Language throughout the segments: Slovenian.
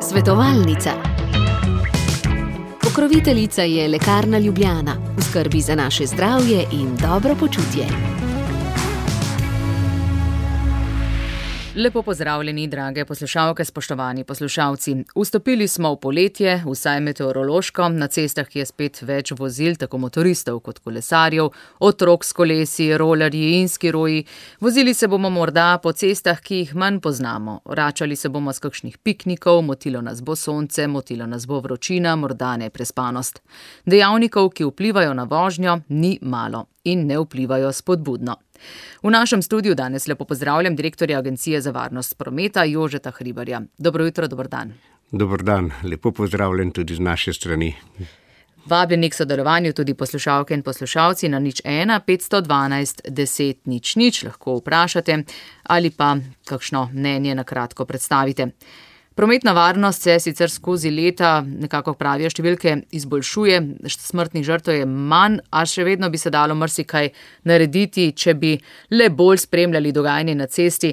Svetovalnica. Pokroviteljica je Lekarna Ljubljana, v skrbi za naše zdravje in dobro počutje. Lepo pozdravljeni, drage poslušalke, spoštovani poslušalci. Vstopili smo v poletje, vsaj meteorološko, na cestah je spet več vozil, tako motoristov kot kolesarjev, otrok s kolesi, rolerji in skiroji. Vozili se bomo morda po cestah, ki jih manj poznamo. Vračali se bomo s kakšnih piknikov, motilo nas bo sonce, motilo nas bo vročina, morda neprespanost. Dejavnikov, ki vplivajo na vožnjo, ni malo in ne vplivajo spodbudno. V našem studiu danes lepo pozdravljam direktorja Agencije za varnost prometa Jožeta Hribarja. Dobro jutro, dober dan. Dober dan, lepo pozdravljen tudi z naše strani. Vabljeni k sodelovanju tudi poslušalke in poslušalci na 01 512 10 00, lahko vprašate ali pa kakšno mnenje na kratko predstavite. Prometna varnost se sicer skozi leta, nekako pravijo številke, izboljšuje, smrtnih žrtev je manj, a še vedno bi se dalo marsikaj narediti, če bi le bolj spremljali dogajanje na cesti.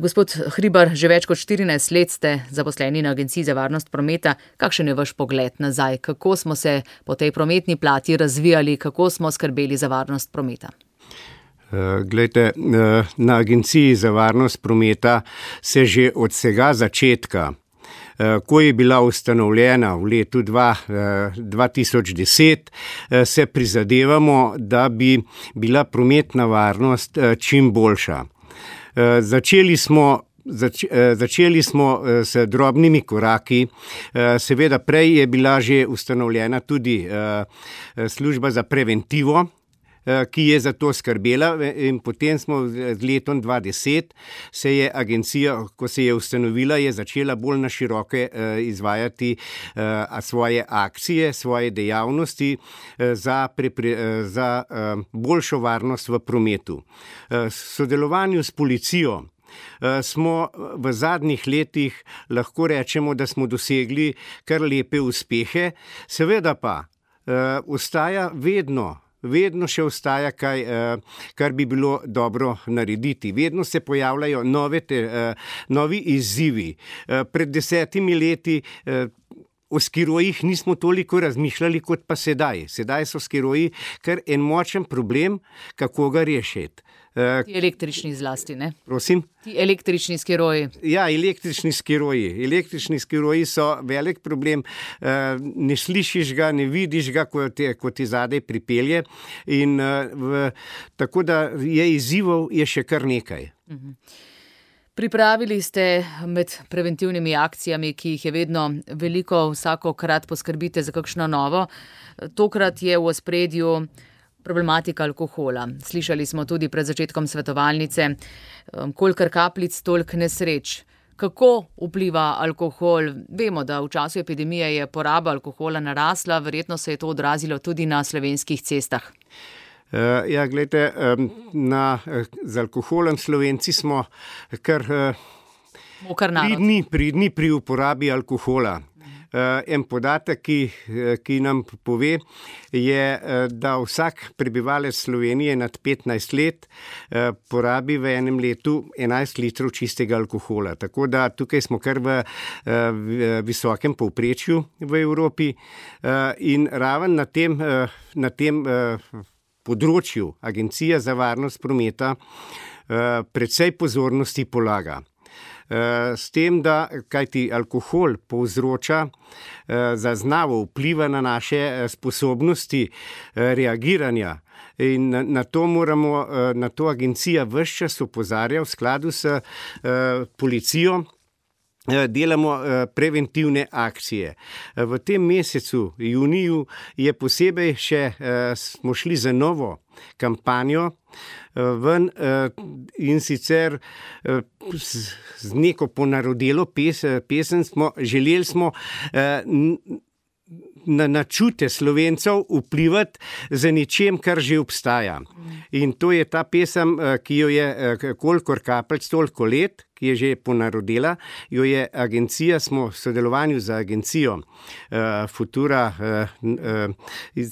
Gospod Hribar, že več kot 14 let ste zaposleni na Agenciji za varnost prometa. Kakšen je vaš pogled nazaj? Kako smo se po tej prometni plati razvijali, kako smo skrbeli za varnost prometa? Glejte, na Agenciji za varnost prometa se že od vsega začetka, ko je bila ustanovljena v letu 2010, se prizadevamo, da bi bila prometna varnost čim boljša. Začeli smo s drobnimi koraki, seveda prej je bila že ustanovljena tudi služba za preventivo, ki je za to skrbela, in potem smo z letom 2010 se je agencija, ko se je ustanovila, je začela bolj na široke izvajati svoje akcije, svoje dejavnosti za boljšo varnost v prometu. V sodelovanju s policijo smo v zadnjih letih, lahko rečemo, da smo dosegli kar lepe uspehe, seveda pa vedno še ostaja kaj, kar bi bilo dobro narediti. Vedno se pojavljajo novi izzivi. Pred 10 leti o skirojih nismo toliko razmišljali kot pa sedaj. Sedaj so skiroji kar en močen problem, kako ga rešiti. Ti električni zlasti, ne? Prosim? Ti električni skiroji. Ja, električni skiroji. Električni skiroji so velik problem. Ne slišiš ga, ne vidiš ga, ko ti zadaj pripelje. In tako da je izzivov je še kar nekaj. Pripravili ste med preventivnimi akcijami, ki jih je vedno veliko, vsakokrat poskrbite za kakšno novo. Tokrat je v ospredju problematika alkohola. Slišali smo tudi pred začetkom svetovalnice, kolikor kapljic, toliko nesreč. Kako vpliva alkohol? Vemo, da v času epidemije je poraba alkohola narasla, verjetno se je to odrazilo tudi na slovenskih cestah. Ja, gledajte, z alkoholem Slovenci smo kar pridni pri uporabi alkohola. En podatek, ki nam pove, je, da vsak prebivalec Slovenije nad 15 let porabi v enem letu 11 litrov čistega alkohola. Tako da tukaj smo kar v visokem povprečju v Evropi in raven na tem področju Agencija za varnost prometa precej pozornosti polaga. S tem, da kajti alkohol povzroča zaznavo, vpliva na naše sposobnosti reagiranja in na to agencija ves čas opozarja v skladu s policijo. Delamo preventivne akcije. V tem mesecu, juniju, je posebej smo šli za novo kampanjo ven in sicer z neko ponarodelo pesem želeli smo na čute Slovencev vplivati za ničem, kar že obstaja. In to je ta pesem, ki jo je Kolikor kapljic, toliko let, ki je že ponarodela, jo je agencija, smo v sodelovanju z agencijo Futura,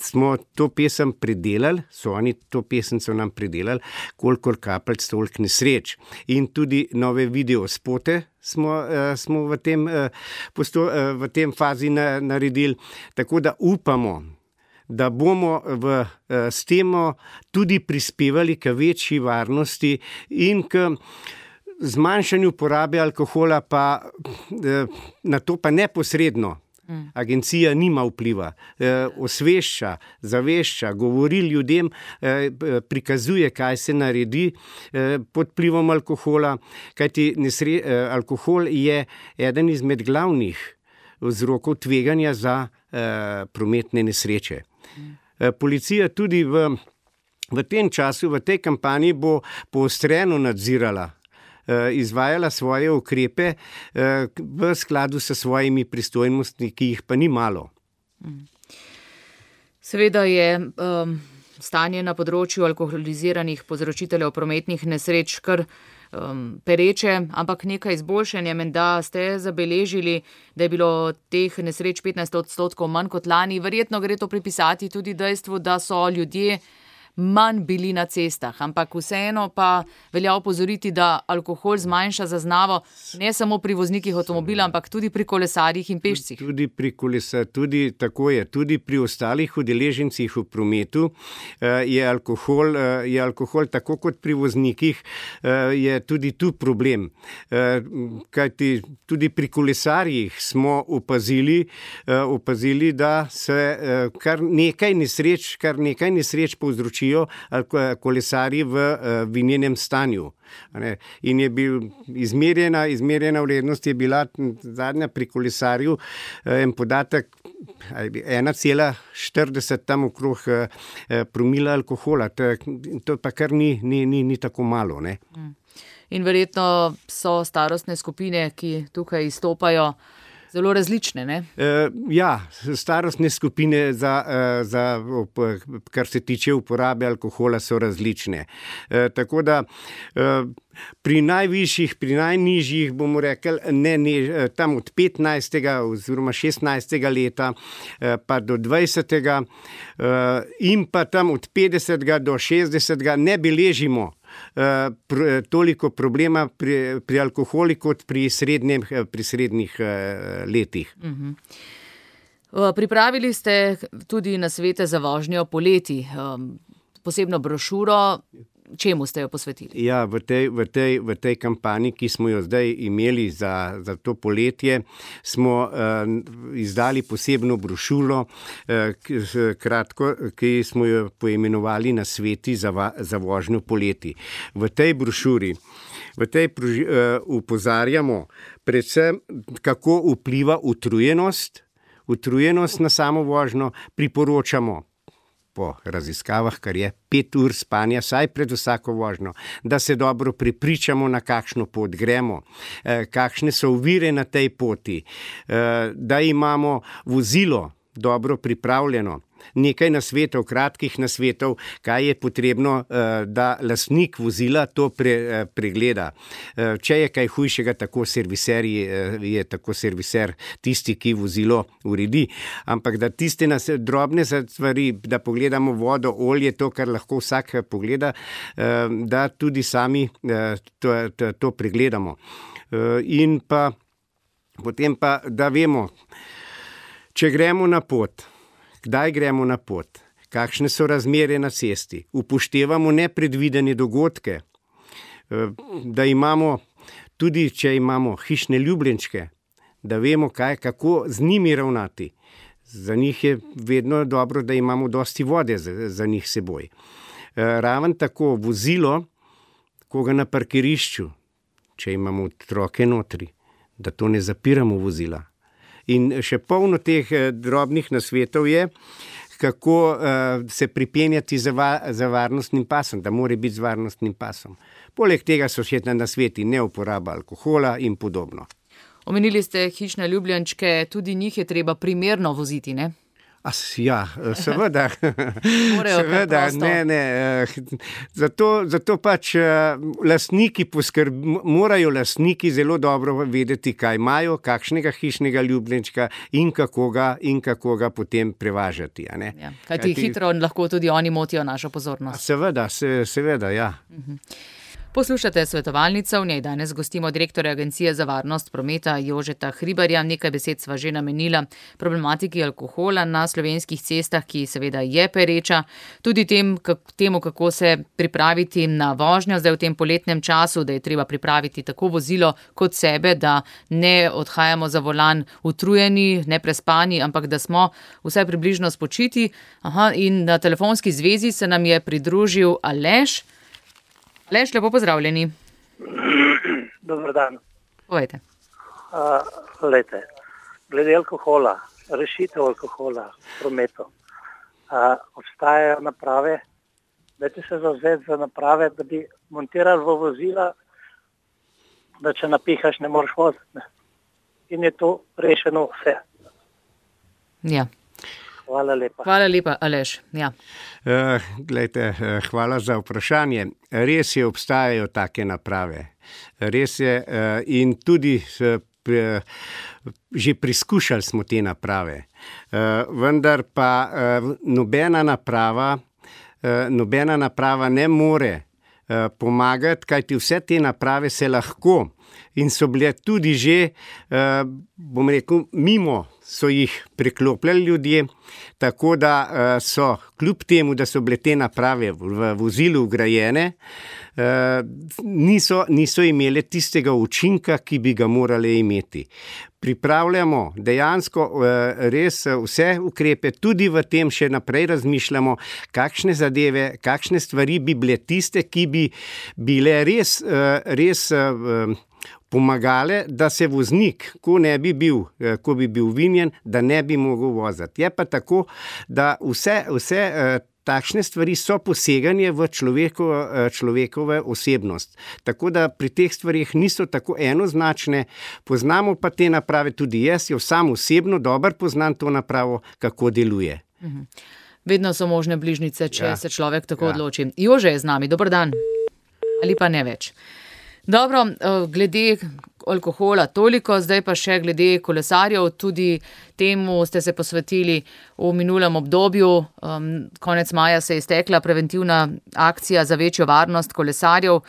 smo to pesem predelali, oni to pesem so nam predelali, kolikor kapljic, toliko nesreč. In tudi nove video spote smo v tem fazi naredili, tako da upamo, da bomo s tem tudi prispevali k večji varnosti in k zmanjšanju porabe alkohola, pa na to pa neposredno. Agencija nima vpliva, osvešča, zavešča, govori ljudem, prikazuje, kaj se naredi pod vplivom alkohola, kajti alkohol je eden izmed glavnih vzrokov tveganja za prometne nesreče. Policija tudi v tem času, v tej kampanji bo poostreno nadzirala, izvajala svoje ukrepe v skladu s svojimi pristojnostmi, ki jih pa ni malo. Seveda je stanje na področju alkoholiziranih povzročiteljev prometnih nesreč kar pereče, ampak nekaj izboljšanja menda ste zabeležili, da je bilo teh nesreč 15% manj kot lani. Verjetno gre to pripisati tudi dejstvu, da so ljudje manj bili na cestah, ampak vseeno pa velja opozoriti, da alkohol zmanjša zaznavo ne samo pri voznikih avtomobila, ampak tudi pri kolesarjih in pešcih. Tudi pri ostalih udeležencih v prometu je alkohol tako kot pri voznikih, je tudi tu problem. Kajti tudi pri kolesarjih smo opazili, da se kar nekaj nesreč povzročijo kolesarji v vinjenem stanju. In je bil izmerjena vrednost je bila zadnja pri kolesarju en podatek 1,40 tam okrog promila alkohola. To pa kar ni tako malo, ne? In verjetno so starostne skupine, ki tukaj izstopajo, zelo različne, ne? Starostne skupine kar se tiče uporabe alkohola, so različne. Tako da pri najvišjih, pri najnižjih, bomo rekli, tam od 15. oziroma 16. leta pa do 20. In pa tam od 50. do 60. ne beležimo toliko problema pri alkoholi kot pri srednjih letih. Pripravili ste tudi nasvete za vožnjo poleti, posebno brošuro. Čemu ste jo posvetili? Ja, v tej kampanji, ki smo jo zdaj imeli za to poletje, smo izdali posebno brošuro, ki smo jo poimenovali Nasveti za vožnjo poleti. V tej brošuri opozarjamo predvsem, kako vpliva utrujenost na samo vožnjo, priporočamo po raziskavah, kar je 5 ur spanja, saj pred vsako vožnjo, da se dobro prepričamo, na kakšno pot gremo, kakšne so ovire na tej poti, da imamo vozilo dobro pripravljeno. Nekaj nasvetov, kratkih nasvetov, kaj je potrebno, da lastnik vozila to pregleda. Če je kaj hujšega, je tako serviser tisti, ki vozilo uredi. Ampak da tiste drobne stvari, da pogledamo vodo, olje, to, kar lahko vsak pogleda, da tudi sami to pregledamo. In pa potem pa, da vemo, če gremo na pot, kdaj gremo na pot, kakšne so razmere na cesti, upoštevamo nepredvidene dogodke, da imamo tudi, če imamo hišne ljubljenčke, da vemo, kako z njimi ravnati. Za njih je vedno dobro, da imamo dosti vode za njih seboj. Raven tako vozilo, ko ga na parkirišču, če imamo otroke notri, da to ne zapiramo vozila. In še polno teh drobnih nasvetov je, kako se pripenjati za varnostnim pasom, da mora biti z varnostnim pasom. Poleg tega so še nasveti neuporaba alkohola in podobno. Omenili ste hišne ljubljenčke, tudi njih je treba primerno voziti, ne? Ja, seveda. Seveda, Zato pač lastniki morajo lastniki zelo dobro vedeti, kaj imajo, kakšnega hišnega ljubljenčka in kako ga potem prevažati. Ja, kajti hitro lahko tudi oni motijo našo pozornost. Seveda, ja. Poslušate svetovalnico, v njej danes gostimo direktorja Agencije za varnost prometa Jožeta Hribarja. Nekaj besed sva že namenila problematiki alkohola na slovenskih cestah, ki seveda je pereča. Tudi temu, kako se pripraviti na vožnjo zdaj v tem poletnem času, da je treba pripraviti tako vozilo kot sebe, da ne odhajamo za volan utrujeni, neprespani, ampak da smo vsaj približno spočiti. In na telefonski zvezi se nam je pridružil Aleš. Aleš, lepo pozdravljeni. Dobar dan. Povejte. Glede alkohola, rešitev alkohola v prometu. Obstajajo naprave, dajte se zavzeti za naprave, da bi montirali v vozila, da če napihaš, ne moreš voziti. In je to rešeno vse. Ja. Hvala lepa. Hvala lepa, Aleš. Ja. Hvala za vprašanje. Res je, obstajajo take naprave. Res je in tudi že preizkušali smo te naprave. Vendar pa nobena naprava ne more pomagati, kajti vse te naprave se lahko in so bile tudi že, bom rekel, mimo so jih preklopljali ljudje, tako da so, kljub temu, da so bile te naprave v vozilu vgrajene, niso imele tistega učinka, ki bi ga morale imeti. Pripravljamo dejansko res vse ukrepe, tudi v tem še naprej razmišljamo, kakšne zadeve, kakšne stvari bi bile tiste, ki bi bile res pomagale, da se voznik, ko bi bil vinjen, da ne bi mogel voziti. Je pa tako, da vse takšne stvari so poseganje v človekove osebnost. Tako da pri teh stvarih niso tako enoznačne, poznamo pa te naprave, tudi jaz jo sam osebno dobro poznam to napravo, kako deluje. Vedno so možne bližnjice, če se človek tako odloči. Jože je z nami, dober dan. Ali pa ne več. Dobro, glede alkohola toliko, zdaj pa še glede kolesarjev, tudi temu ste se posvetili v minulem obdobju. Konec maja se je iztekla preventivna akcija za večjo varnost kolesarjev.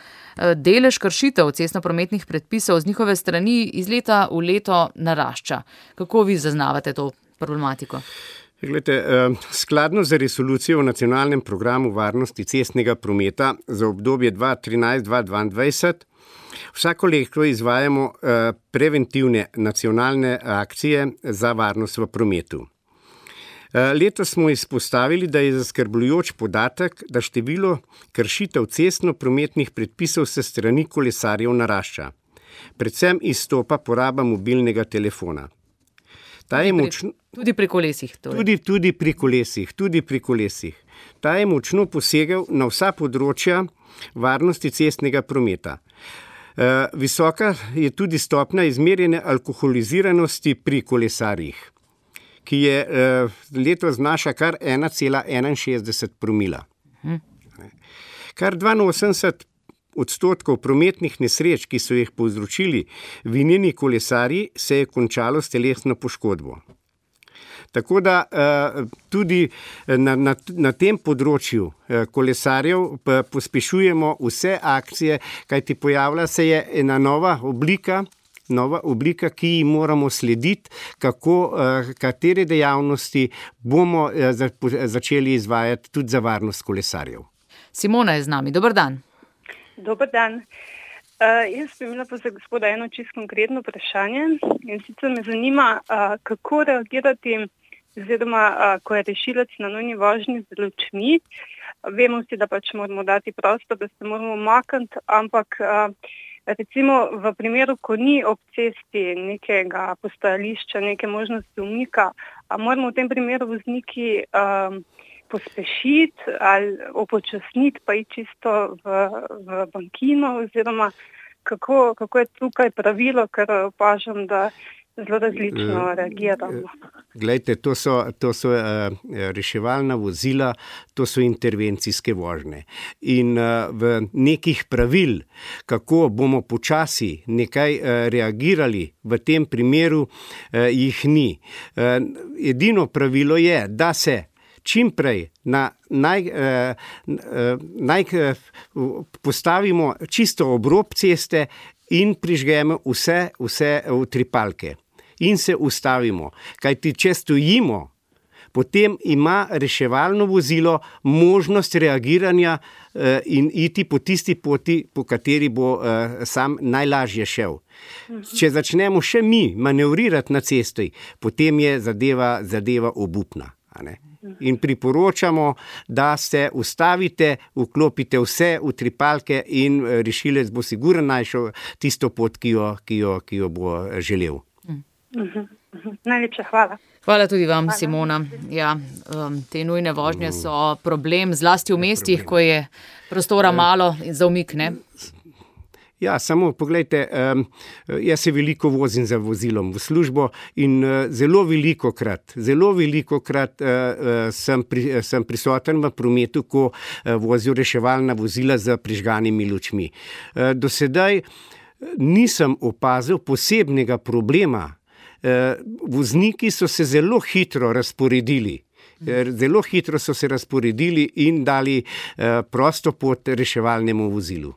Delež kršitev cestnoprometnih predpisov z njihove strani iz leta v leto narašča. Kako vi zaznavate to problematiko? Skladno z resolucijo o nacionalnem programu varnosti cestnega prometa za obdobje 2013-2022 vsako leto izvajamo preventivne nacionalne akcije za varnost v prometu. Letos smo izpostavili, da je zaskrbljujoč podatek, da število kršitev cestnoprometnih predpisov s strani kolesarjev narašča. Predvsem izstopa poraba mobilnega telefona. Tudi pri kolesih. Tudi pri kolesih. Ta je močno posegel na vsa področja varnosti cestnega prometa. Visoka je tudi stopnja izmerjene alkoholiziranosti pri kolesarjih, ki je letos znaša kar 1,61 promila. Kar 82% prometnih nesreč, ki so jih povzročili vinjeni kolesarji, se je končalo s telesno poškodbo. Tako da tudi na tem področju kolesarjev pospešujemo vse akcije, kajti pojavlja se je ena nova oblika, ki ji moramo slediti, katere dejavnosti bomo začeli izvajati tudi za varnost kolesarjev. Simona je z nami, dober dan. Dober dan. Jaz bi imela pa za gospoda eno čisto konkretno vprašanje in sicer me zanima, kako reagirati, oziroma ko je rešilec na nujni vožnji z lučmi. Vemo vsi, da pač moramo dati prostor, da se moramo umakniti, ampak recimo v primeru, ko ni ob cesti nekega postajališča, neke možnosti umika, a moramo v tem primeru vozniki pospešiti ali upočasniti, pa iti čisto v bankino, oziroma kako je tukaj pravilo, ker opažam, da zelo različno reagiramo. Glejte, to so reševalna vozila, to so intervencijske vožnje. In v nekih pravil, kako bomo počasi nekaj reagirali v tem primeru, jih ni. Edino pravilo je, da se čim prej postavimo čisto ob rob ceste in prižgemo vse utripalke. In se ustavimo. Kajti, če stojimo, potem ima reševalno vozilo možnost reagiranja in iti po tisti poti, po kateri bo sam najlažje šel. Če začnemo še mi manevrirati na cesti, potem je zadeva obupna. In priporočamo, da se ustavite, vklopite vse utripalke in rešilec bo sigurno našel tisto pot, ki jo bo želel. Najlepša hvala. Hvala tudi vam, Simona. Ja, te nujne vožnje so problem, zlasti v mestih, ko je prostora malo za umik, ne? Ja, samo poglejte, jaz se veliko vozim za vozilom v službo in zelo velikokrat sem prisoten v prometu, ko vozijo reševalna vozila z prižganimi lučmi. Do sedaj nisem opazil posebnega problema. Vozniki so se zelo hitro razporedili. In dali prosto pot reševalnemu vozilu.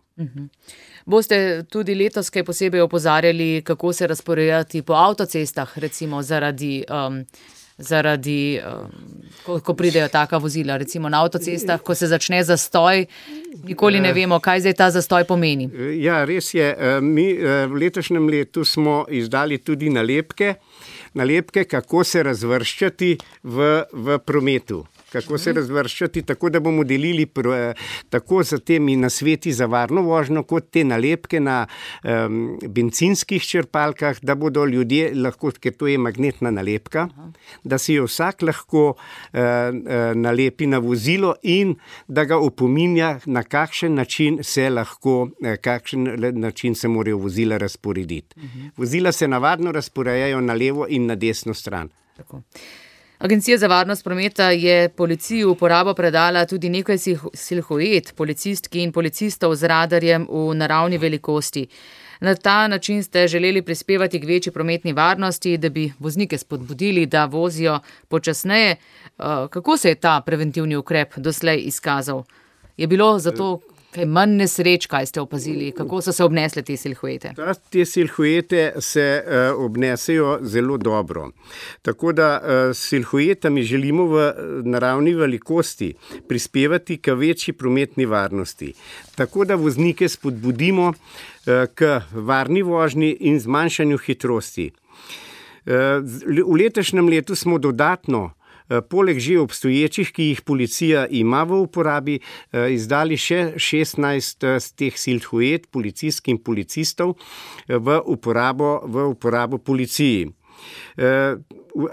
Boste tudi letos kaj posebej opozarjali, kako se razporejati po avtocestah, recimo zaradi ko pridejo taka vozila, recimo na avtocestah, ko se začne zastoj, nikoli ne vemo, kaj zdaj ta zastoj pomeni. Ja, res je. Mi v letošnjem letu smo izdali tudi nalepke, kako se razvrščati v prometu. Kako se razvrščati, tako da bomo delili tako za temi nasveti za varno vožnjo, kot te nalepke na bencinskih črpalkah, da bodo ljudje lahko, ker to je magnetna nalepka, da si jo vsak lahko nalepi na vozilo in da ga opominja, na kakšen način se morajo vozila razporediti. Vozila se navadno razporejajo na levo in na desno stran. Tako. Agencija za varnost prometa je policiji v uporabo predala tudi nekaj silhuet policistki in policistov z radarjem v naravni velikosti. Na ta način ste želeli prispevati k večji prometni varnosti, da bi voznike spodbudili, da vozijo počasneje. Kako se je ta preventivni ukrep doslej izkazal? Je bilo zato kaj manj nesreč, kaj ste opazili? Kako so se obnesle te silhuete? Te silhuete se obnesejo zelo dobro. Tako da s silhuetami želimo v naravni velikosti prispevati k večji prometni varnosti. Tako da voznike spodbudimo k varni vožnji in zmanjšanju hitrosti. V letošnjem letu smo dodatno poleg že obstoječih, ki jih policija ima v uporabi, izdali še 16 teh silhuet policijskih in policistov v uporabo policiji.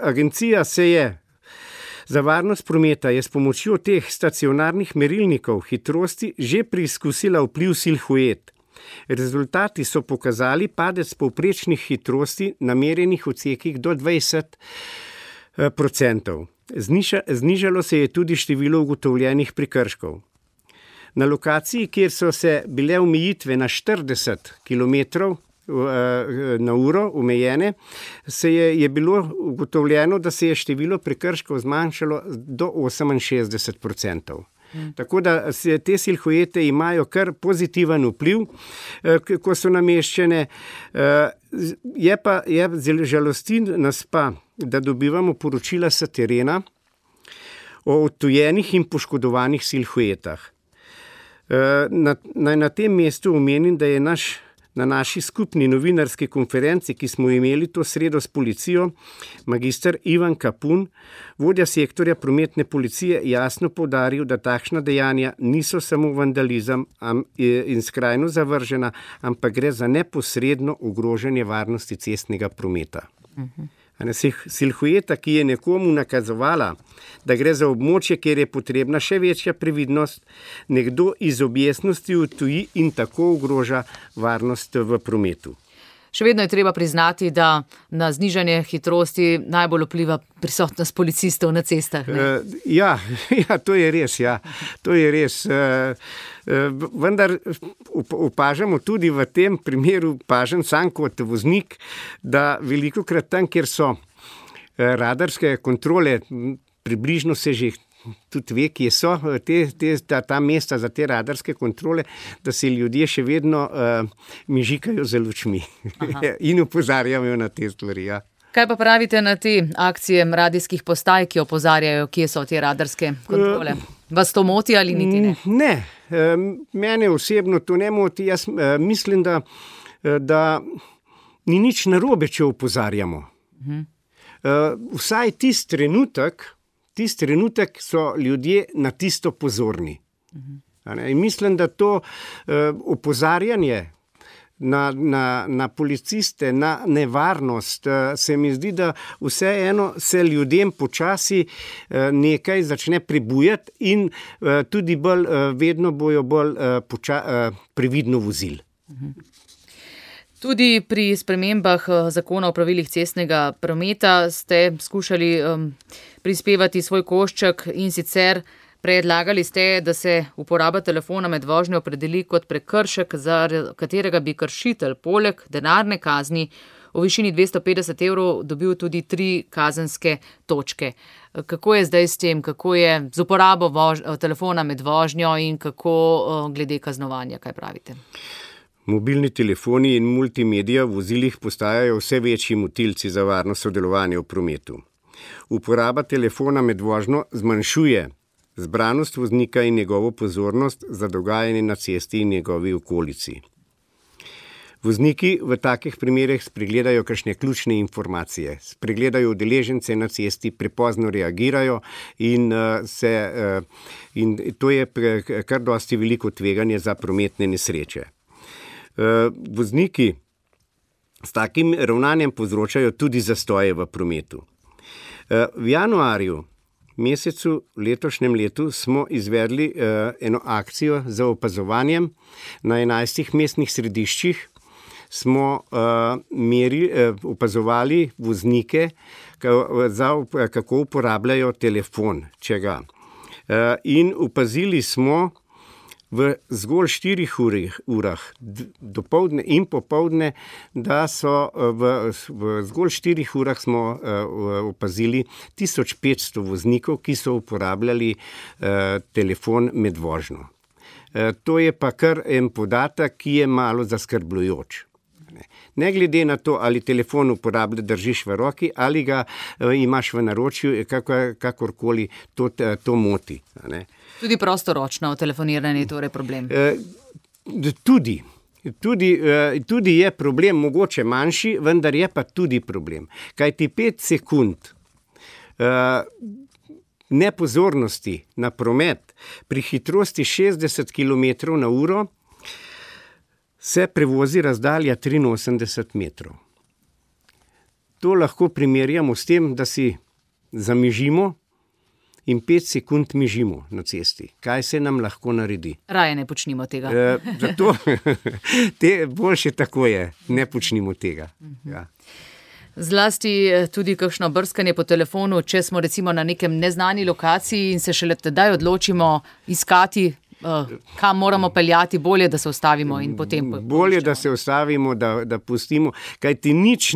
Agencija se je za varnost prometa je s pomočjo teh stacionarnih merilnikov hitrosti že preizkusila vpliv silhuet. Rezultati so pokazali padec povprečnih hitrosti na merjenih odsekih do 20%. Znižalo se je tudi število ugotovljenih prekrškov. Na lokaciji, kjer so se bile omejitve na 40 km na uro omejene, je bilo ugotovljeno, da se je število prekrškov zmanjšalo do 68%. Tako da te silhuete imajo kar pozitiven vpliv, ko so nameščene. Žalosti nas pa, da dobivamo poročila s terena o odtujenih in poškodovanih silhuetah. Naj na tem mestu omenim, da je na naši skupni novinarski konferenci, ki smo imeli to sredo s policijo, magister Ivan Kapun, vodja sektorja prometne policije, jasno poudaril, da takšna dejanja niso samo vandalizem in skrajno zavržena, ampak gre za neposredno ogrožanje varnosti cestnega prometa. Silhueta, ki je nekomu nakazovala, da gre za območje, kjer je potrebna še večja previdnost, nekdo iz objestnosti odtuji in tako ogroža varnost v prometu. Še vedno je treba priznati, da na znižanje hitrosti najbolj vpliva prisotnost policistov na cestah. Ja, to je res, ja. To je res. Vendar opažamo tudi v tem primeru, opažam sam kot voznik, da velikokrat tam, kjer so radarske kontrole, približno se že tudi ve, kje so ta mesta za te radarske kontrole, da se ljudje še vedno mižikajo za lučmi in opozarjajo na te stvari. Ja. Kaj pa pravite na te akcije radijskih postaj, ki opozarjajo, kje so te radarske kontrole? Vas to moti ali niti ne? Ne, mene osebno to ne moti. Jaz mislim, da ni nič narobe, če opozarjamo. Vsaj tisti trenutek so ljudje na tisto pozorni. In mislim, da to opozarjanje na policiste, na nevarnost, se mi zdi, da vseeno se ljudem počasi nekaj začne pribujati in tudi vedno bojo bolj previdno vozili. Tudi pri spremembah zakona o pravilih cestnega prometa ste skušali prispevati svoj košček in sicer predlagali ste, da se uporaba telefona med vožnjo opredeli kot prekršek, za katerega bi kršitelj poleg denarne kazni v višini 250 € dobil tudi 3 kazenske točke. Kako je zdaj s tem, kako je z uporabo telefona med vožnjo in kako glede kaznovanja, kaj pravite? Mobilni telefoni in multimedija v vozilih postajajo vse večji motilci za varno sodelovanje v prometu. Uporaba telefona med vožnjo zmanjšuje zbranost voznika in njegovo pozornost za dogajanje na cesti in njegovi okolici. Vozniki v takih primerih spregledajo kakšne ključne informacije, spregledajo udeležence na cesti, prepozno reagirajo in to je kar dosti veliko tveganje za prometne nesreče. Vozniki s takim ravnanjem povzročajo tudi zastoje v prometu. V januarju mesecu letošnjem letu smo izvedli eno akcijo za opazovanjem na 11 mestnih središčih. Smo opazovali voznike, kako uporabljajo telefon, če ga. In opazili smo v zgolj 4 urah, dopoldne in popoldne, da so v zgolj 4 urah smo opazili 1500 voznikov, ki so uporabljali telefon med vožnjo. To je pa kar en podatek, ki je malo zaskrbljujoč. Ne glede na to, ali telefon držiš v roki ali ga imaš v naročju, kakorkoli to moti. Tudi prostoročno telefoniranje je torej problem? Tudi je problem, mogoče manjši, vendar je pa tudi problem. Kajti 5 sekund nepozornosti na promet pri hitrosti 60 km/h se prevozi razdalja 83 metrov. To lahko primerjamo s tem, da si zamižimo in 5 sekund mižimo na cesti. Kaj se nam lahko naredi? Raje ne počnimo tega. Zato boljše tako je, ne počnimo tega. Ja. Zlasti tudi kakšno brskanje po telefonu, če smo recimo na nekem neznani lokaciji in se šele tedaj odločimo iskati, kam moramo peljati, bolje, da se ustavimo in potem bolje, da se ustavimo, da pustimo, kajti nič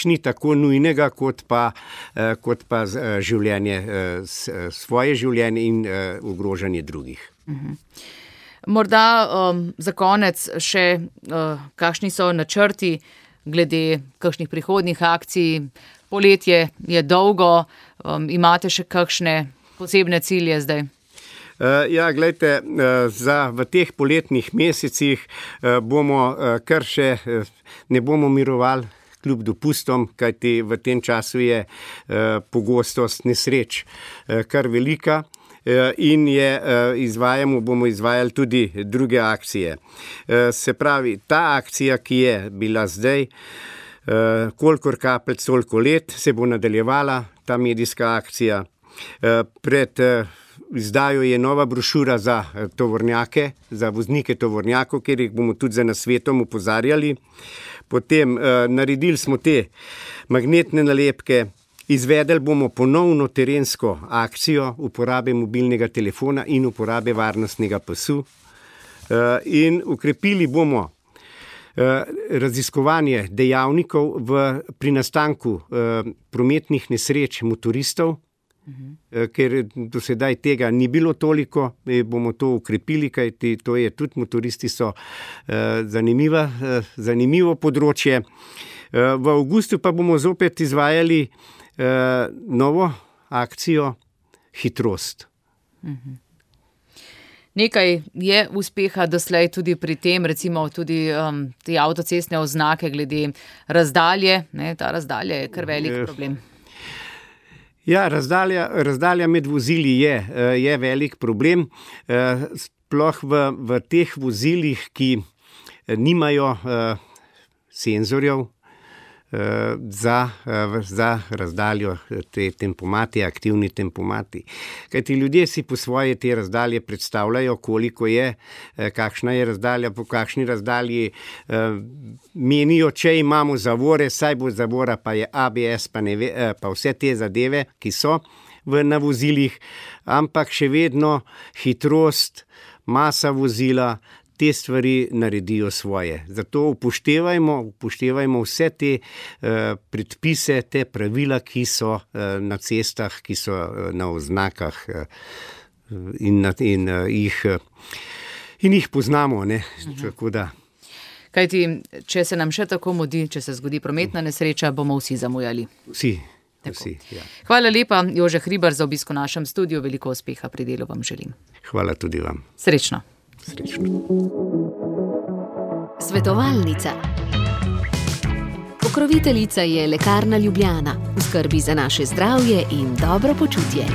ni tako nujnega, kot pa življenje, svoje življenje in ogrožanje drugih. Morda za konec še kakšni so načrti glede kakšnih prihodnjih akcij? Poletje je dolgo, imate še kakšne posebne cilje zdaj? Ja, glejte, v teh poletnih mesecih bomo kar še, ne bomo mirovali kljub dopustom, kajti v tem času je pogostost nesreč kar velika in bomo izvajali tudi druge akcije. Se pravi, ta akcija, ki je bila zdaj, kolikor kapljic, toliko let, se bo nadaljevala, ta medijska akcija. Pred izdajo je nova brošura za tovornjake, za voznike tovornjakov, kjer jih bomo tudi za nasvetom opozarjali. Potem naredili smo te magnetne nalepke, izvedeli bomo ponovno terensko akcijo uporabe mobilnega telefona in uporabe varnostnega pasu in ukrepili bomo raziskovanje dejavnikov pri nastanku prometnih nesreč motoristov, ker do sedaj tega ni bilo toliko, bomo to ukrepili, kajti to je tudi motoristi so zanimivo področje. V avgustu pa bomo zopet izvajali novo akcijo Hitrost. Nekaj je uspeha doslej tudi pri tem, recimo tudi te avtocestne oznake glede razdalje, ne, ta razdalja je kar velik problem. Ja, razdalja med vozili je velik problem, sploh v teh vozilih, ki nimajo senzorjev za razdaljo, te tempomati, aktivni tempomati. Kajti ljudje si po svoje te razdalje predstavljajo, koliko je, kakšna je razdalja, po kakšni razdalji menijo, če imamo zavore, saj bo zavora, pa je ABS, pa vse te zadeve, ki so na vozilih, ampak še vedno hitrost, masa vozila, te stvari naredijo svoje. Zato upoštevajmo vse te predpise, te pravila, ki so na cestah, ki so na oznakah in jih poznamo, ne, tako da. Kajti, če se nam še tako mudi, če se zgodi prometna nesreča, bomo vsi zamujali. Vsi, ja. Hvala lepa, Jože Hribar, za obisk v našem studiu. Veliko uspeha pri delu vam želim. Hvala tudi vam. Srečno. Svetovalnica. Pokroviteljica je Lekarna Ljubljana, v skrbi za naše zdravje in dobro počutje.